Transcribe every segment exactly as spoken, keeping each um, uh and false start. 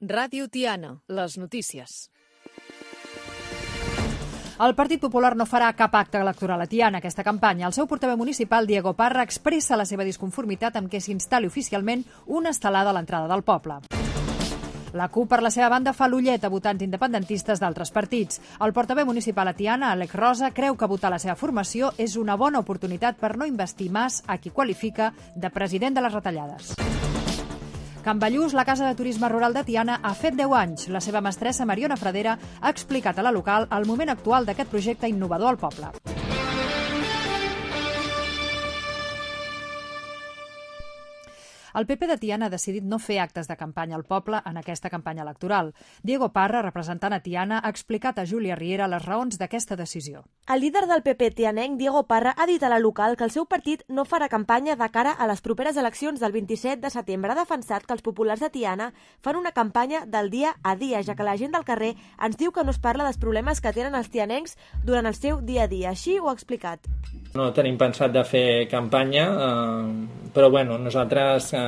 Ràdio Tiana, les notícies. El Partit Popular no farà cap acte electoral a Tiana aquesta campanya. El seu portaveu municipal, Diego Parra, expressa la seva disconformitat amb què s'instal·li oficialment una estelada a l'entrada del poble. La CUP, per la seva banda, fa l'ullet a votants independentistes d'altres partits. El portaveu municipal a Tiana, Àlex Rosa, creu que votar la seva formació és una bona oportunitat per no investir Mas, a qui qualifica de president de les retallades. Can Ballús, la casa de turisme rural de Tiana, ha fet deu anys. La seva mestressa, Mariona Fradera, ha explicat a la local el moment actual d'aquest projecte innovador al poble. El P P de Tiana ha decidit no fer actes de campanya al poble en aquesta campanya electoral. Diego Parra, representant a Tiana, ha explicat a Júlia Riera les raons d'aquesta decisió. El líder del P P tianenc, Diego Parra, ha dit a la local que el seu partit no farà campanya de cara a les properes eleccions del vint-i-set de setembre. Ha defensat que els populars de Tiana fan una campanya del dia a dia, ja que la gent del carrer ens diu que no es parla dels problemes que tenen els tianencs durant el seu dia a dia. Així ho ha explicat. No tenim pensat de fer campanya, eh, però bueno, nosaltres eh,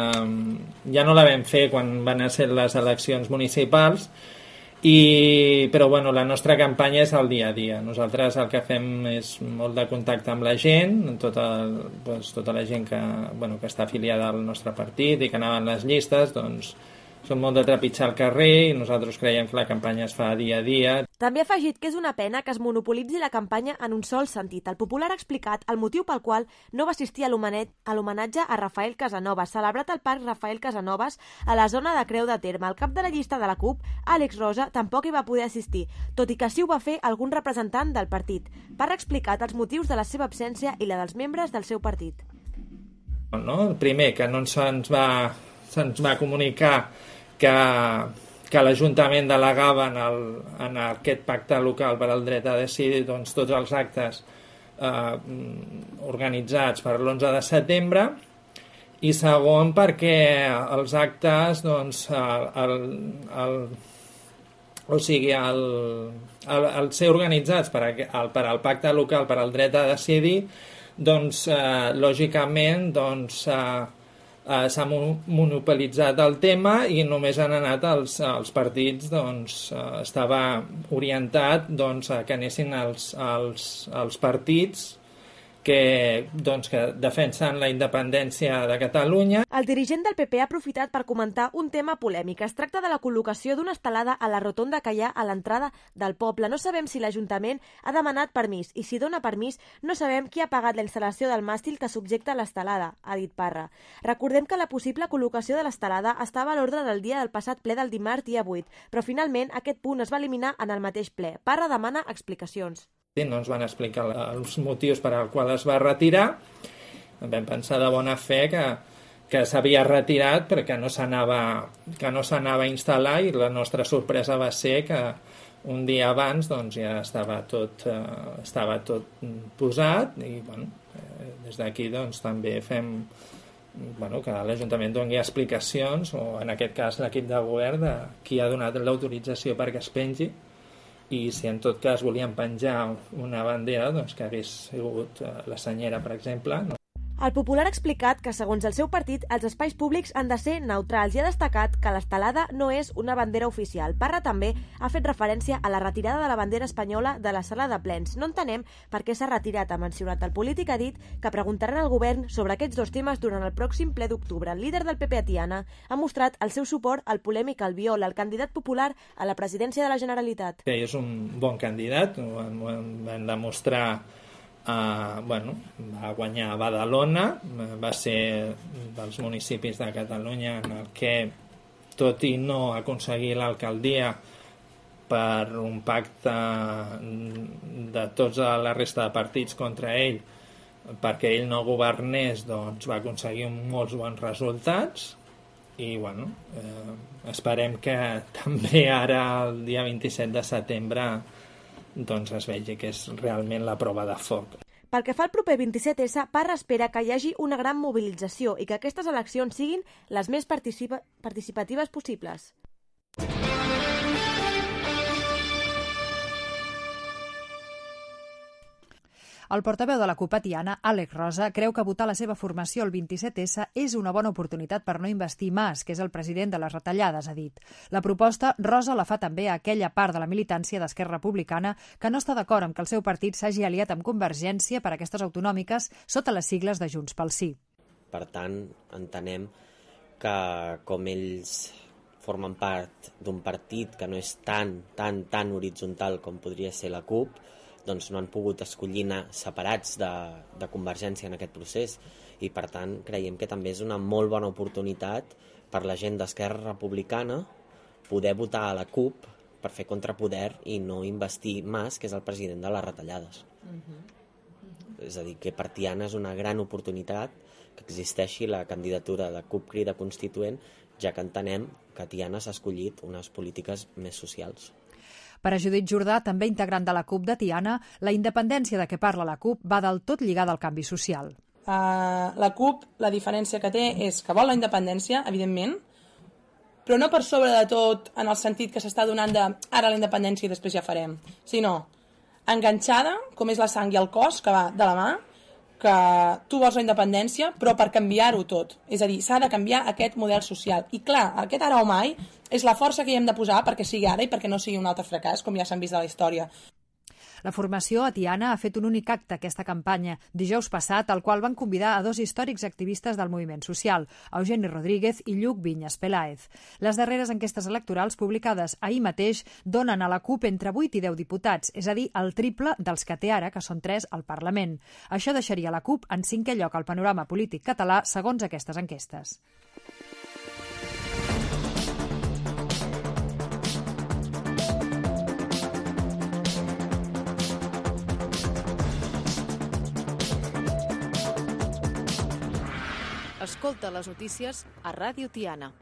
ja no la vam fer quan van ser les eleccions municipals, i, però bueno, la nostra campanya és el dia a dia. Nosaltres el que fem és molt de contacte amb la gent, tota, doncs, tota la gent que, bueno, que està afiliada al nostre partit i que anaven les llistes, doncs són molt de trepitjar al carrer i nosaltres creiem que la campanya es fa dia a dia. També ha afegit que és una pena que es monopolitzi la campanya en un sol sentit. El Popular ha explicat el motiu pel qual no va assistir a l'homenatge a Rafael Casanovas, celebrat al Parc Rafael Casanovas a la zona de Creu de Terme. El cap de la llista de la CUP, Àlex Rosa, tampoc hi va poder assistir, tot i que sí ho va fer algun representant del partit. Parra ha explicat els motius de la seva absència i la dels membres del seu partit. No? El primer, que no se'ns va, se'ns va comunicar que, que l'Ajuntament delegava en, el, en aquest pacte local per al dret a decidir, doncs, tots els actes eh, organitzats per l'onze de setembre, i segon perquè els actes, doncs, el, el, el, o sigui, el, el, el ser organitzats per, el, per al pacte local per al dret a decidir, doncs, eh, lògicament, doncs, eh, Uh, s'ha monopolitzat el tema i només han anat els, els partits, doncs, uh, estava orientat, doncs, a que anessin els, els, els partits que, doncs, que defensen la independència de Catalunya. El dirigent del P P ha aprofitat per comentar un tema polèmic. Es tracta de la col·locació d'una estelada a la rotonda que hi ha a l'entrada del poble. No sabem si l'Ajuntament ha demanat permís i si dona permís no sabem qui ha pagat la instal·lació del màstil que subjecta l'estelada, ha dit Parra. Recordem que la possible col·locació de l'estelada estava a l'ordre del dia del passat ple del dimarts dia vuit, però finalment aquest punt es va eliminar en el mateix ple. Parra demana explicacions. No ens van explicar els motius per als quals es va retirar. Vam pensar de bona fe que, que s'havia retirat perquè no s'anava que no s'anava a instal·lar, i la nostra sorpresa va ser que un dia abans, doncs, ja estava tot, eh, estava tot posat, i bueno, eh, des d'aquí, doncs, també fem, bueno, que l'Ajuntament doni explicacions, o en aquest cas l'equip de govern, de qui ha donat l'autorització perquè es pengi, i si en tot cas volien penjar una bandera, doncs que hagués sigut la senyera, per exemple. No? El Popular ha explicat que, segons el seu partit, els espais públics han de ser neutrals i ha destacat que l'estelada no és una bandera oficial. Parra també ha fet referència a la retirada de la bandera espanyola de la sala de plens. No entenem per què s'ha retirat, ha mencionat. El polític ha dit que preguntaran al govern sobre aquests dos temes durant el pròxim ple d'octubre. El líder del P P a Tiana ha mostrat el seu suport al polèmic Albiol, el candidat popular a la presidència de la Generalitat. Que és un bon candidat, ho vam demostrar. Uh, bueno, va guanyar a Badalona, va ser dels municipis de Catalunya en el que, tot i no aconseguir l'alcaldia per un pacte de tota la resta de partits contra ell, perquè ell no governés, doncs va aconseguir molts bons resultats. I bueno, eh, esperem que també ara, el dia vint-i-set de setembre, doncs es vegi que és realment la prova de foc. Pel que fa al proper vint-i-set essa, Parra espera que hi hagi una gran mobilització i que aquestes eleccions siguin les més participa- participatives possibles. El portaveu de la CUP a Tiana, Àlex Rosa, creu que votar la seva formació el vint-i-set essa és una bona oportunitat per no investir Mas, que és el president de les retallades, ha dit. La proposta, Rosa la fa també a aquella part de la militància d'Esquerra Republicana que no està d'acord amb que el seu partit s'hagi aliat amb Convergència per a aquestes autonòmiques sota les sigles de Junts pel Sí. Per tant, entenem que com ells formen part d'un partit que no és tan, tan, tan horitzontal com podria ser la CUP, doncs no han pogut escollir anar separats de, de Convergència en aquest procés i per tant creiem que també és una molt bona oportunitat per la gent d'Esquerra Republicana poder votar a la CUP per fer contrapoder i no investir Mas, que és el president de les retallades. Uh-huh. És a dir, que per Tiana és una gran oportunitat que existeixi la candidatura de CUP Crida Constituent, ja que entenem que Tiana s'ha escollit unes polítiques més socials. Per a Judit Jordà, també integrant de la CUP de Tiana, la independència de què parla la CUP va del tot lligada al canvi social. Uh, la CUP, la diferència que té és que vol la independència, evidentment, però no per sobre de tot en el sentit que s'està donant de ara la independència i després ja farem, sinó enganxada, com és la sang i el cos, que va de la mà, que tu vols la independència, però per canviar-ho tot. És a dir, s'ha de canviar aquest model social. I clar, aquest ara o mai és la força que hi hem de posar perquè sigui ara i perquè no sigui un altre fracàs, com ja s'han vist a la història. La formació a Tiana ha fet un únic acte aquesta campanya, dijous passat, al qual van convidar a dos històrics activistes del moviment social, Eugeni Rodríguez i Lluc Vinyes Peláez. Les darreres enquestes electorals publicades ahir mateix donen a la CUP entre vuit i deu diputats, és a dir, el triple dels que té ara, que són tres al Parlament. Això deixaria la CUP en cinquè lloc al panorama polític català, segons aquestes enquestes. Escolta les notícies a Ràdio Tiana.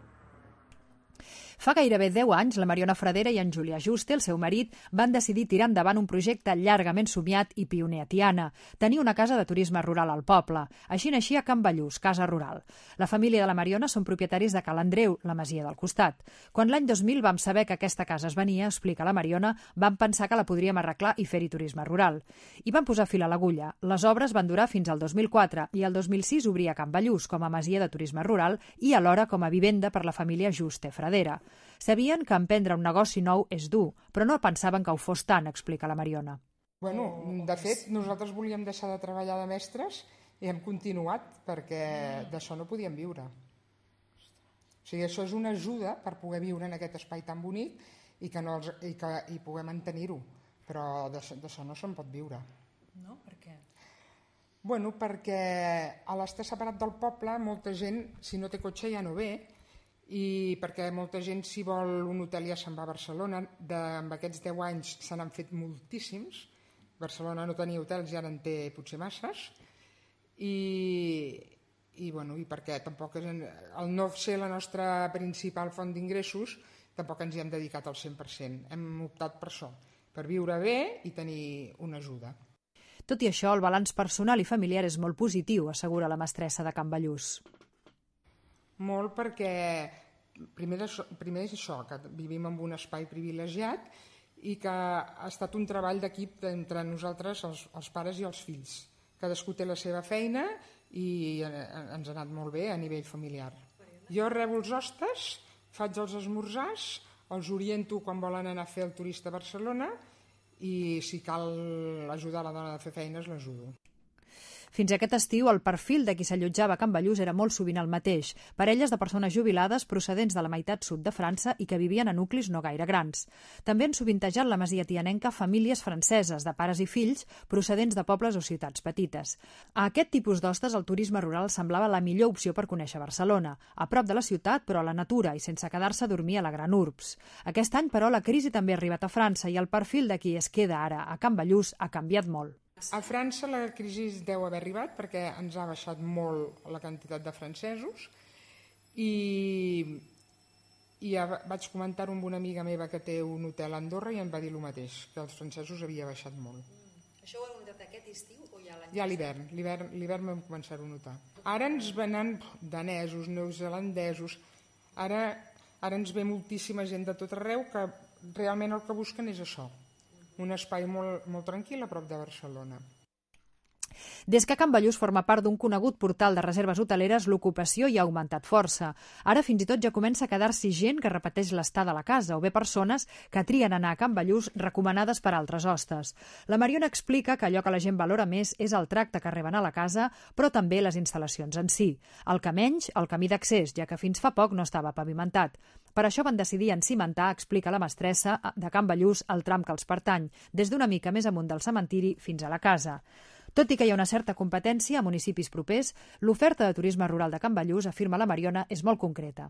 Fa gairebé deu anys, la Mariona Fradera i en Julià Juste, el seu marit, van decidir tirar endavant un projecte llargament somiat i pioner a Tiana, tenir una casa de turisme rural al poble. Així naixia Can Ballús, casa rural. La família de la Mariona són propietaris de Cal Andreu, la masia del costat. Quan l'any dos mil vam saber que aquesta casa es venia, explica la Mariona, vam pensar que la podríem arreglar i fer-hi turisme rural. I van posar fil a l'agulla. Les obres van durar fins al dos mil quatre i el dos mil sis obria Can Ballús com a masia de turisme rural i alhora com a vivenda per la família Juste Fradera. Sabien que emprendre un negoci nou és dur, però no pensaven que ho fos tant, explica la Mariona. Bueno, de fet, nosaltres volíem deixar de treballar de mestres i hem continuat perquè d'això no podíem viure. O sigui, això és una ajuda per poder viure en aquest espai tan bonic i que, no els, i que i poder mantenir-ho, però d'això no se'n pot viure. No? Per què? Bueno, perquè a l'estar separat del poble, molta gent, si no té cotxe ja no ve, i perquè molta gent, si vol un hotel, ja se'n va a Barcelona. De, amb aquests deu anys se n'han fet moltíssims. Barcelona no tenia hotels i ara en té potser masses. I, i, bueno, i perquè tampoc és, el no ser la nostra principal font d'ingressos, tampoc ens hi hem dedicat al cent per cent. Hem optat per això, per viure bé i tenir una ajuda. Tot i això, el balanç personal i familiar és molt positiu, assegura la mestressa de Can Ballús. Molt perquè primer, això, primer és això, que vivim en un espai privilegiat i que ha estat un treball d'equip entre nosaltres, els, els pares i els fills. Cadascú té la seva feina i ens ha anat molt bé a nivell familiar. Jo rebo els hostes, faig els esmorzars, els oriento quan volen anar a fer el turista a Barcelona i si cal ajudar la dona a fer feines, l'ajudo. Fins aquest estiu, el perfil de qui s'allotjava a Can Ballús era molt sovint el mateix, parelles de persones jubilades procedents de la meitat sud de França i que vivien a nuclis no gaire grans. També han sovintejat la masia tianenca famílies franceses, de pares i fills, procedents de pobles o ciutats petites. A aquest tipus d'hostes, el turisme rural semblava la millor opció per conèixer Barcelona, a prop de la ciutat, però a la natura i sense quedar-se a dormir a la gran urbs. Aquest any, però, la crisi també ha arribat a França i el perfil de qui es queda ara a Can Ballús ha canviat molt. A França la crisi deu haver arribat perquè ens ha baixat molt la quantitat de francesos i, i ja vaig comentar-ho amb una amiga meva que té un hotel a Andorra i em va dir el mateix, que els francesos havia baixat molt. Mm. Això ho heu notat aquest estiu o ja l'any? Ja l'hivern, l'hivern vam començar a notar. Ara ens venen danesos, neozelandesos, ara, ara ens ve moltíssima gent de tot arreu que realment el que busquen és això. Un espai molt, molt tranquil a prop de Barcelona. Des que Can Ballús forma part d'un conegut portal de reserves hoteleres, l'ocupació hi ha augmentat força. Ara fins i tot ja comença a quedar-s'hi gent que repeteix l'estada a la casa o bé persones que trien anar a Can Ballús recomanades per altres hostes. La Mariona explica que allò que la gent valora més és el tracte que reben a la casa, però també les instal·lacions en si. El que menys, el camí d'accés, ja que fins fa poc no estava pavimentat. Per això van decidir encimentar, explica la mestressa, de Can Ballús el tram que els pertany, des d'una mica més amunt del cementiri fins a la casa. Tot i que hi ha una certa competència a municipis propers, l'oferta de turisme rural de Can Ballús, afirma la Mariona, és molt concreta.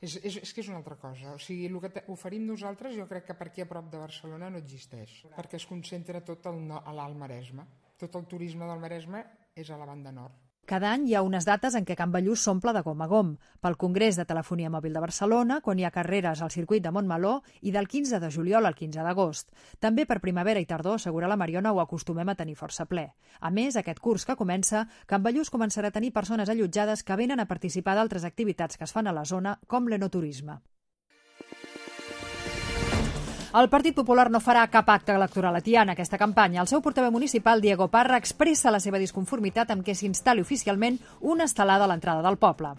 És, és, és que és una altra cosa. O sigui, el que oferim nosaltres jo crec que per aquí a prop de Barcelona no existeix, perquè es concentra tot al, a l'Alt Maresme. Tot el turisme del Maresme és a la banda nord. Cada any hi ha unes dates en què Can Ballús s'omple de gom a gom. Pel Congrés de Telefonia Mòbil de Barcelona, quan hi ha carreres al circuit de Montmeló, i del quinze de juliol al quinze d'agost. També per primavera i tardor, assegura la Mariona, ho acostumem a tenir força ple. A més, aquest curs que comença, Can Ballús començarà a tenir persones allotjades que venen a participar d'altres activitats que es fan a la zona, com l'enoturisme. El Partit Popular no farà cap acte electoral a Tiana aquesta campanya. El seu portaveu municipal, Diego Parra, expressa la seva disconformitat amb què s'instal·li oficialment una estelada a l'entrada del poble.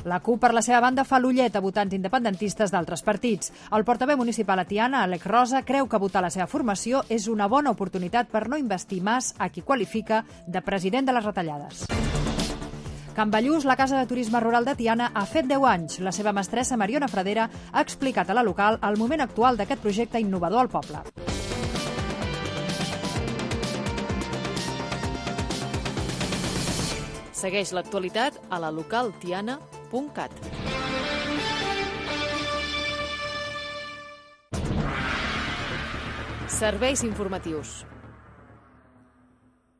La CUP, per la seva banda, fa l'ullet a votants independentistes d'altres partits. El portaveu municipal a Tiana, Alec Rosa, creu que votar la seva formació és una bona oportunitat per no investir Mas, a qui qualifica de president de les retallades. Can Ballús, la casa de turisme rural de Tiana, ha fet deu anys. La seva mestressa, Mariona Fradera, ha explicat a la local el moment actual d'aquest projecte innovador al poble. Segueix l'actualitat a la local tiana punt cat. Serveis informatius.